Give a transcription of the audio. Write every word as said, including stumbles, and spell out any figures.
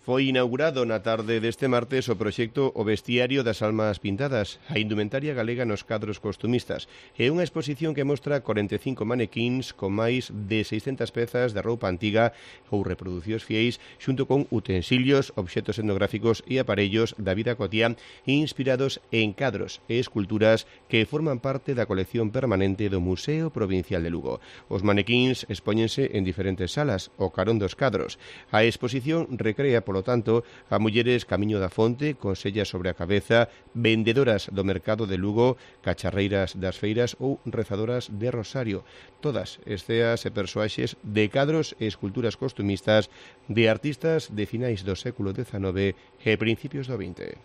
Foi inaugurado na tarde deste martes o proxecto O Vestiario das Almas Pintadas, a indumentaria galega nos cadros costumistas. É unha exposición que mostra corenta e cinco manequíns con máis de seiscentas pezas de roupa antiga ou reproducións fiéis, xunto con utensilios, obxetos etnográficos e aparellos da vida cotiá inspirados en cadros e esculturas que forman parte da colección permanente do Museo Provincial de Lugo. Os manequíns expóñense en diferentes salas, o carón dos cadros. A exposición recrea, polo tanto, a mulleres camiño da fonte, con sellas sobre a cabeza, vendedoras do mercado de Lugo, cacharreiras das feiras ou rezadoras de rosario. Todas esceas e persoaxes de cadros e esculturas costumistas de artistas de finais do século dezanove e principios do vinte.